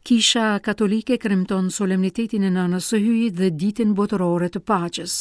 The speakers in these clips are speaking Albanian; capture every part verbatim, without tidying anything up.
Kisha Katolike kremton solemnitetin e Nënës së Hyjit dhe Ditën Botërore të Paqes.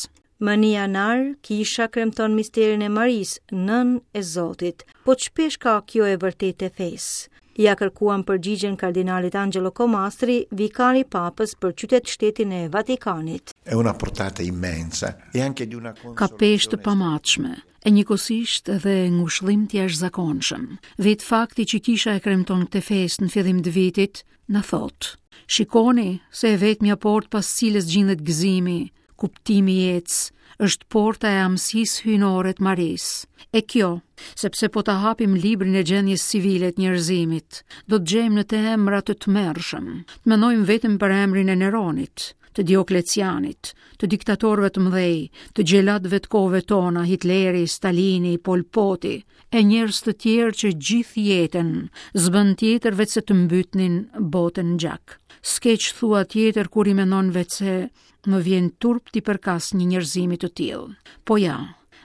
Më një janar, kisha kremton misterin e Marisë, nënë e Zotit. Po ç'peshë ka kjo e vërtetë e fesë? Ja kërkuam përgjigjen kardinalit Angelo Comastri, vikari papës për qytet shtetin e Vatikanit. È una portata immensa e anche di una Ka peshë të pamatshme, e njëkohësisht edhe ngushëllim të jashtëzakonshëm. Vetë fakti që kisha e kremton këtë festë në fillim të vitit, na thotë: Shikoni se e vetmja portë pas cilës gjindet gëzimi, kuptimi i jetës, është porta e amësisë hyjnore të Marisë. E kjo, sepse po ta hapim librin e gjendjes civile të njerëzimit, do të gjejmë në të emra të tmerrshëm. Të mendojmë vetëm për emrin e Neronit, të Dioklecianit, të diktatorëve të mëdhej, të xhelatëve të kohëve tona, Hitleri, Stalini, Pol Poti, e njerëz të tjerë që gjithë jetën s'bën tjetër veç se të mbytnin botën në gjak. S'ke ç'thua tjetër kur i mendon veç se më vjen turp t'i përkas një njerëzimi të tillë. Po ja,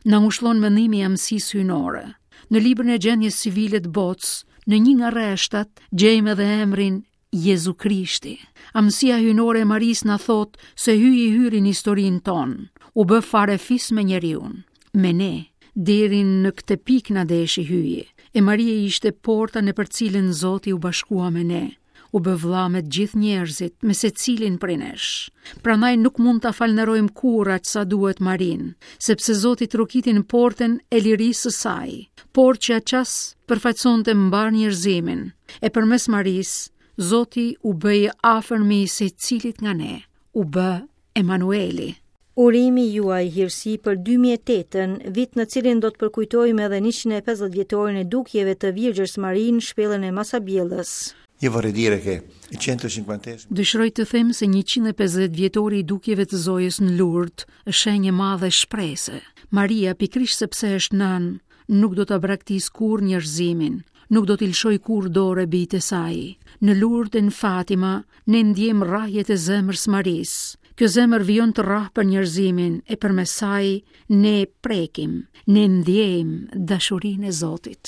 na ngushllon mendimi i amësisë hyjnore. Në librin e gjendjes civile të botës, në një nga rreshtat, gjejmë edhe emrin Jezu Krishti. Amësia hyjnore e Marisë na thot se Hyji hyri në historinë tonë, u bë farefis me njeriun, me ne, deri në këtë pikë na deshi Hyji. E Maria ishte porta në për cilën Zoti u bashkua me ne, u bë vlla me të gjithë njerëzit, me secilin prej nesh. Prandaj nuk mund ta falënderojmë kurrë aq sa duhet Marinë, sepse Zoti trokiti në portën e lirisë së saj, portë që atë çast përfaqësonte mbar njerëzimin. E përmes Marisë, Zoti u bë i afërmi i secilit nga ne, u bë Emanueli. Urimi juaj hirësi për dy mijë e tetën, vit në cilin do të përkujtojmë edhe njëqind e pesëdhjetë vjetorin e dukjeve të Virgjës Marinë në shpellën e Masabjellës. Io vorrei dire che il centocinquantesimo Dëshiroj të them se njëqind e pesëdhjetë vjetori i dukjeve të Zojës në Lourdes është shenjë e madhe shprese. Maria, pikërisht sepse është nënë, nuk do ta braktis kurrë njerëzimin, nuk do t'i lëshoj kurrë dorë bijtë e saj. Në Lourdes e në Fatima ne ndjejmë rrahjet e zemrës Marisë. Kjo zemër vijon të rrah për njerëzimin e përmes saj ne prekim, ne ndjejmë dashurinë e Zotit.